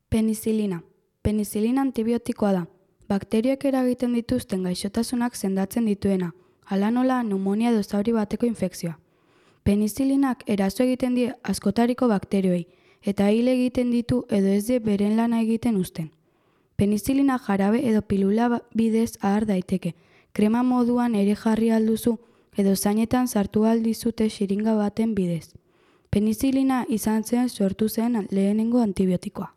Penizilina. Penizilina antibiotikoa da. Bakterioek eragiten dituzten gaixotasunak sendatzen dituena, hala nola pneumonia edo zauri bateko infekzioa. Penizilinak eraso egiten die askotariko bakterioei, eta hil egiten ditu edo ez die beren lana egiten uzten. Penizilina jarabe edo pilula bidez ahar daiteke, krema moduan ere jarri alduzu edo zainetan sartu aldizute xiringa baten bidez. Penizilina izan zen sortu zen lehenengo antibiotikoa.